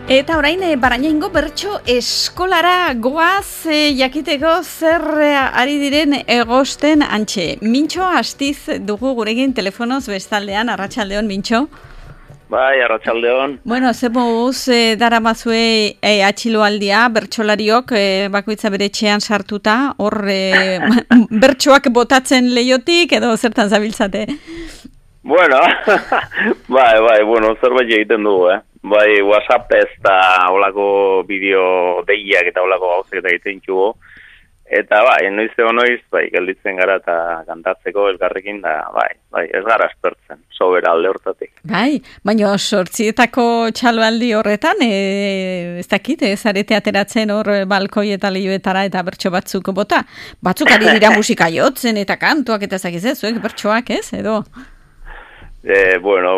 Eta orain Barañaingo bertso eskolara goaz jakiteko zer ari diren egosten antxe. Mintxo Astiz dugu gurekin telefonoz bestaldean, arratsaldeon Mintxo. Bai, arratsaldeon. Bueno, zemuz daramazue atxiloaldia, bertsolariok bakoitza bere etxean sartuta, hor bertsoak botatzen leiotik edo zertan zabiltzate? Bueno, bai, bueno, zerbait egiten dugu, Bai, WhatsApp ez da olako bideo deiak eta olako gauzak eta egiten txugu. Eta bai, noiz, gelditzen gara eta kantatzeko elkarrekin da, bai, ez gara aspertzen, sobera alde hortatik. Bai, baina sortzietako txaloaldi horretan, ez dakit, zarete ateratzen hor balkoi eta lehioetara eta bertso batzuk bota. Batzuk ari dira musika jotzen eta kantuak eta zakiz zuek bertsoak ez, edo? Bueno,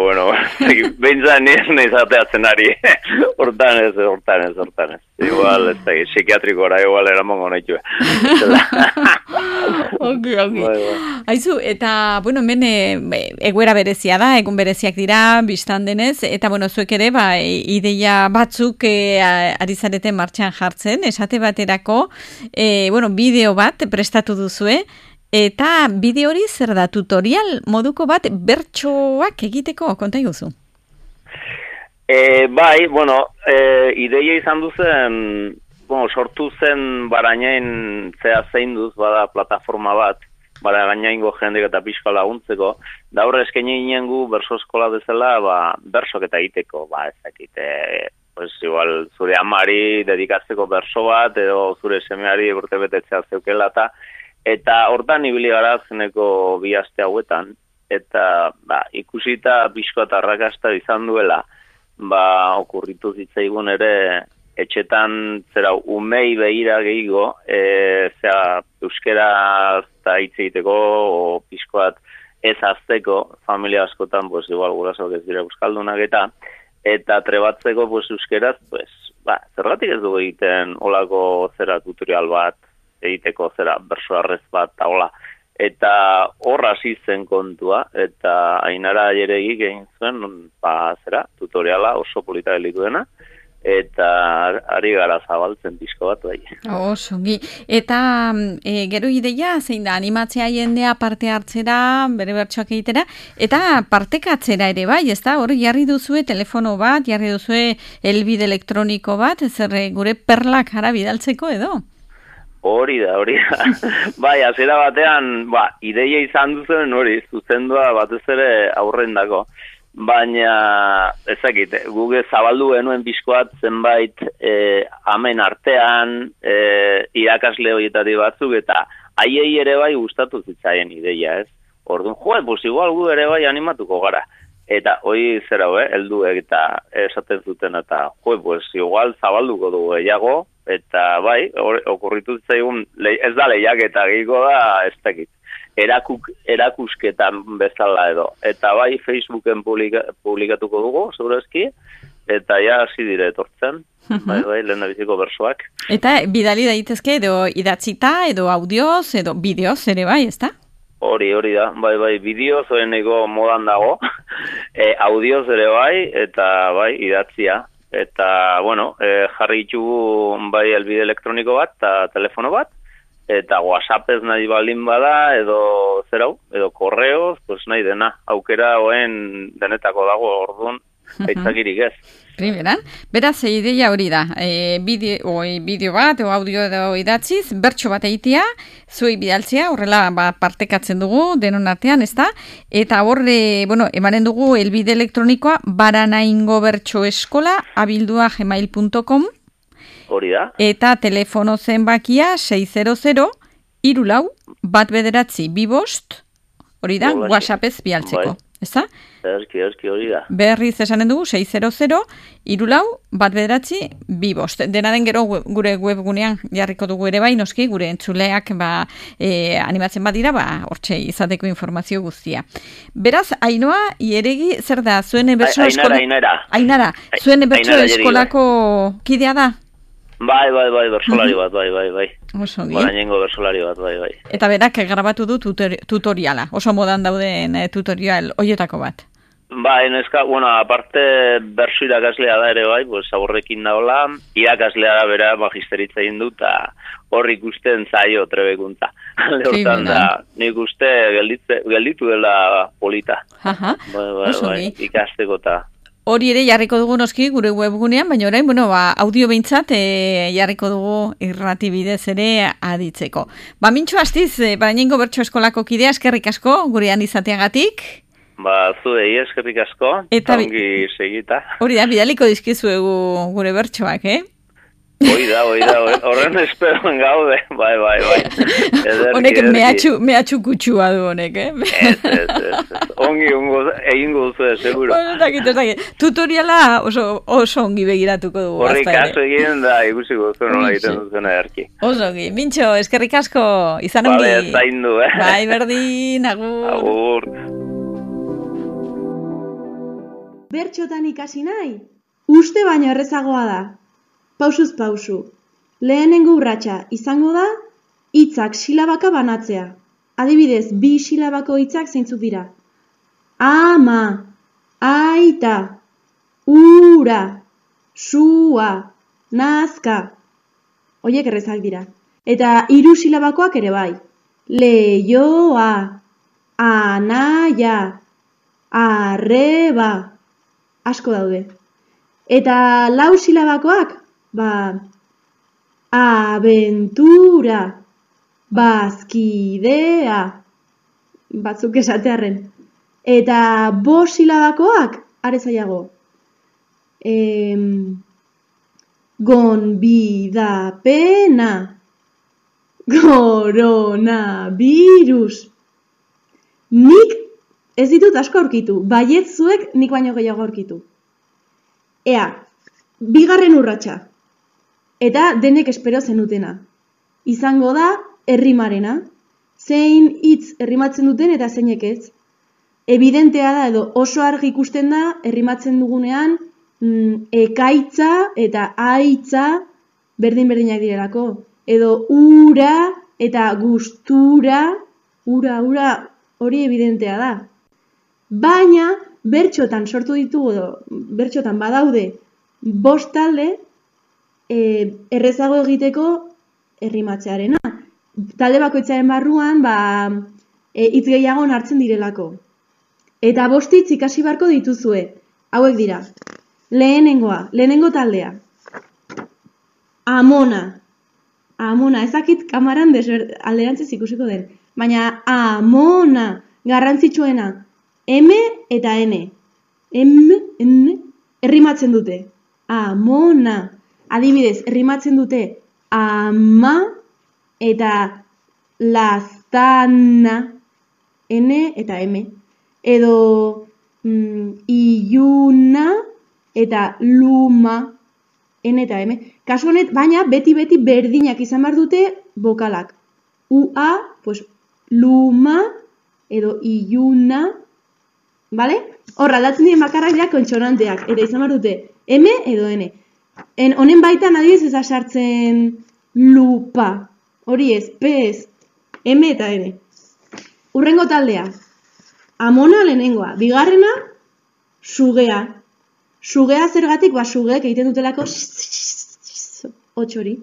behintzat nire ateatzen ari, hortan ez. Igual, ez da, psikiatrikora, igual eramongo nahi txue. Ok. Aizu, eta, bueno, hemen egoera berezia da, egun bereziak dira, biztan denez, eta, bueno, zuek ere, ideia batzuk ari zareten martxan jartzen, esate baterako, bideo bat prestatu duzue, eta bideo hori zer da, tutorial moduko bat bertsoak egiteko, konta iguzu? Bai, ideia izan duzen, sortu zen Barañain zein duz, bada plataforma bat, Barañaingo jendek eta pixka laguntzeko, da horre eskaini ginen gu berso eskola bezala, bersok eta egiteko, pues igual zure amari dedikatzeko berso bat, edo zure semeari urte betetzea zeukela eta hortan ibili gara zeneko bi aste hauetan, eta ikusita pixko eta arrakasta izan duela, okurritu zitzaigun ere, etxetan zera umei behira gehiago, euskera eta hitz egiteko, o pixkoat ez azteko, familia askotan, pues igual gurasok ez dira euskaldunak eta trebatzeko pues euskeraz, zergatik ez dugu egiten olako zera tutorial bat, egiteko zera berso arrez bat taola. Eta hor hasi zen kontua, eta Ainara Jeregi egin zuen, tutoriala oso polita gelitu dena, eta ari gara zabaltzen pixko bat bai. Osongi. Eta gero ideia, zein da, animatzea jendea parte hartzera, bere bertsoak egitera, eta partekatzera ere bai, ez da? Hor jarri duzue telefono bat, jarri duzue helbide elektroniko bat, zer gure perlak ara bidaltzeko edo? Hori da. Bai, hasiera batean, ideia izan duzen hori, zuzendua batez ere aurrendako. Baina, ezakit, guge zabaldu genuen pixkoat zenbait amen artean, irakasle horietatik batzuk, eta haiei ere bai gustatu zitzaien ideia, ez? Orduan, pues igual gu ere bai animatuko gara. Eta hoi zera, helduek eta esaten zuten, eta pues igual zabalduko dugu gehiago, eta bai, okurritu zitzaigun, ez da lehiak eta gehiago da, ez dakit, erakusketan bezala edo. Eta bai, Facebooken publikatuko dugu, segurazki, eta ja hasi dire etortzen, bai, lehen biziko bersoak. Eta bidali daitezke edo idatzita, edo audioz, edo bideoz ere bai, ez da? Hori da, bai, bideoz oeneko modan dago, audioz ere bai, eta bai, idatzia. Eta, jarri ditugu bai elbide elektroniko bat, eta telefono bat, eta WhatsApp ez nahi baldin bada, edo zerau, edo korreoz, pues nahi dena, aukera hoen denetako dago orduan, aitzakirik ez. Primeran, beraz, ideia hori da, bideo bat, o audio edo idatziz, bertso bat egitea, zuei bidaltzea, horrela partekatzen dugu, denon artean, ez da? Eta horre, emanen dugu, elbide elektronikoa, baranaingobertsoeskola@gmail.com. Hori da. Eta telefono zenbakia 600-34-192, hori da, WhatsAppez bialtzeko, ez da? Eski hori da. Berriz esanen dugu, 600-34-192. Dena den gero gure webgunean jarriko dugu ere bai, noski, gure entzuleak animatzen badira, hortxe izateko informazio guztia. Beraz, Ainhoa, Jeregi, zer da, zuen bertso eskola... Ainara, zuen bertso eskolako kidea da? Bai, bersolari bat, bai. Osongi. Barañaingo bersolari bat, bai. Eta berak grabatu du tutoriala, oso modan dauden tutorial hoietako bat. Bai, neska, bueno, aparte bersu irakaslea da ere bai, pues aborrekin daola, irakaslea da bera magisteritza egin du, eta hor ikusten zaio trebekuntza. Hortan da, nik uste gelditu dela polita. Bai, ikasteko eta... Hori ere jarriko dugu noski gure webgunean, baina orain, audio behintzat jarriko dugu irrati bidez ere aditzeko. Mintxo astiz, Barañaingo Bertso Eskolako kidea, eskerrik asko, gurean izateagatik. Zuei eskerrik asko, eta ongi segita. Hori da, bidaliko dizkizuegu gure bertsoak, Hoi da, horren esperoan gaude, bai. Honek mehatxu kutsua du honek, Ez. Ongi egingo duzu, seguro. Tutoriala oso ongi begiratuko dugu. Horri kaso egin da, ikusiko duzu nola egiten duzen erki. Oso ongi, Mintxo, eskerrik asko, izan ongi. Bale, zaindu, Bai, berdin, agur. Bertxotan ikasi nahi, uste baino errezagoa da. Pausuz pausu. Lehenengo urratsa izango da, hitzak silabaka banatzea. Adibidez, 2 silabako hitzak zeintzuk dira. Ama, aita, ura, sua, nazka. Horiek errezak dira. Eta 3 silabakoak ere bai. Leioa, anaia, arreba. Asko daude. Eta 4 silabakoak, abentura, bazkidea, batzuk esatearren. Eta 5 silabakoak, are zailago. Gonbidapena, coronavirus. Nik ez ditut asko aurkitu, baiet zuek nik baino gehiago aurkitu. Ea, 2. urratsa. Eta denek espero zenutena. Izango da errimarena. Zein hitz errimatzen duten eta zeinek ez. Evidentea da edo oso argi ikusten da errimatzen dugunean ekaitza eta aitza berdin-berdinak direlako. Edo ura eta gustura, ura, hori evidentea da. Baina, bertxotan sortu ditugu edo, bertxotan badaude 5 talde errezago egiteko errimatzearena. Talde bakoitzaren barruan, hitz gehiago hartzen direlako. Eta 5 hitz ikasi beharko dituzue. Hauek dira. Lehenengo taldea. Amona, ezakit kamaran alderantziz ikusiko den. Baina amona, garrantzitsuena. M eta N. Errimatzen dute. Amona. Adibidez, errimatzen dute ama eta lastana. N eta M. Edo iluna eta luma. N eta M. Kasu honet, baina beti berdinak izan behar dute bokalak. Ua, pues, luma edo iluna. Bale? Hor, aldatzen diren bakarrak dira kontsonanteak. Eta izan behar dute M edo N. Honen baitan adibidez ez sartzen lupa. Hori ez, P ez. M eta N. Hurrengo taldea. Amona lehenengoa. Bigarrena, sugea. Sugea zergatik, sugeek egiten dutelako hori.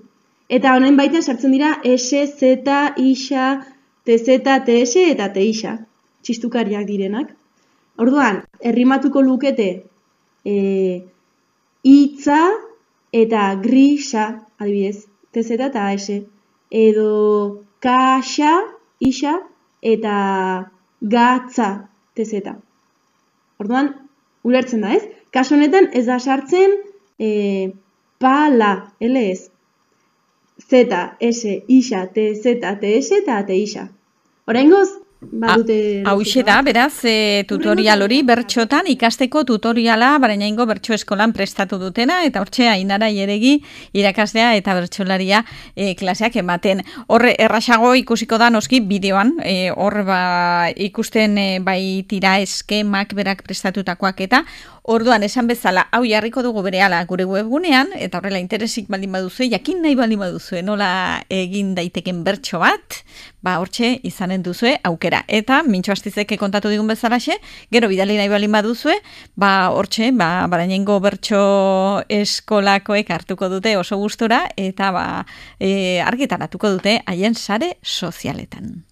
Eta honen baitan sartzen dira S, Z, Isa, TZ, TS eta Tisa. Txistukariak direnak. Orduan, errimatuko lukete hitza eta grisa, adibidez, TZ eta S. Edo kaxa, Isa eta gatza, TZ. Orduan, ulertzen da, ez? Kaso honetan ez da sartzen pala, LS. Z, S, Isa, TZ, TS eta Tisa. Oraingoz, hauxe da, beraz, tutorial hori bertxotan ikasteko tutoriala Barañaingo Bertso Eskolan prestatu dutena, eta hortxe Ainara Jeregi irakaslea eta bertsolaria klaseak ematen. Hor errasago ikusiko da noski bideoan, hor ikusten bai tira eskemak berak prestatutakoak eta orduan esan bezala, hau jarriko dugu berehala gure webgunean, eta horrela interesik baldin baduzu, jakin nahi baldin baduzu, nola egin daiteken bertso bat, hortxe izanen duzue aukera. aukera. Eta, Mintxo Astizek kontatu digun bezalaxe, gero bidali nahi balin baduzue, hortxe, Barañaingo bertso eskolakoek hartuko dute oso gustura, eta argitaratuko dute haien sare sozialetan.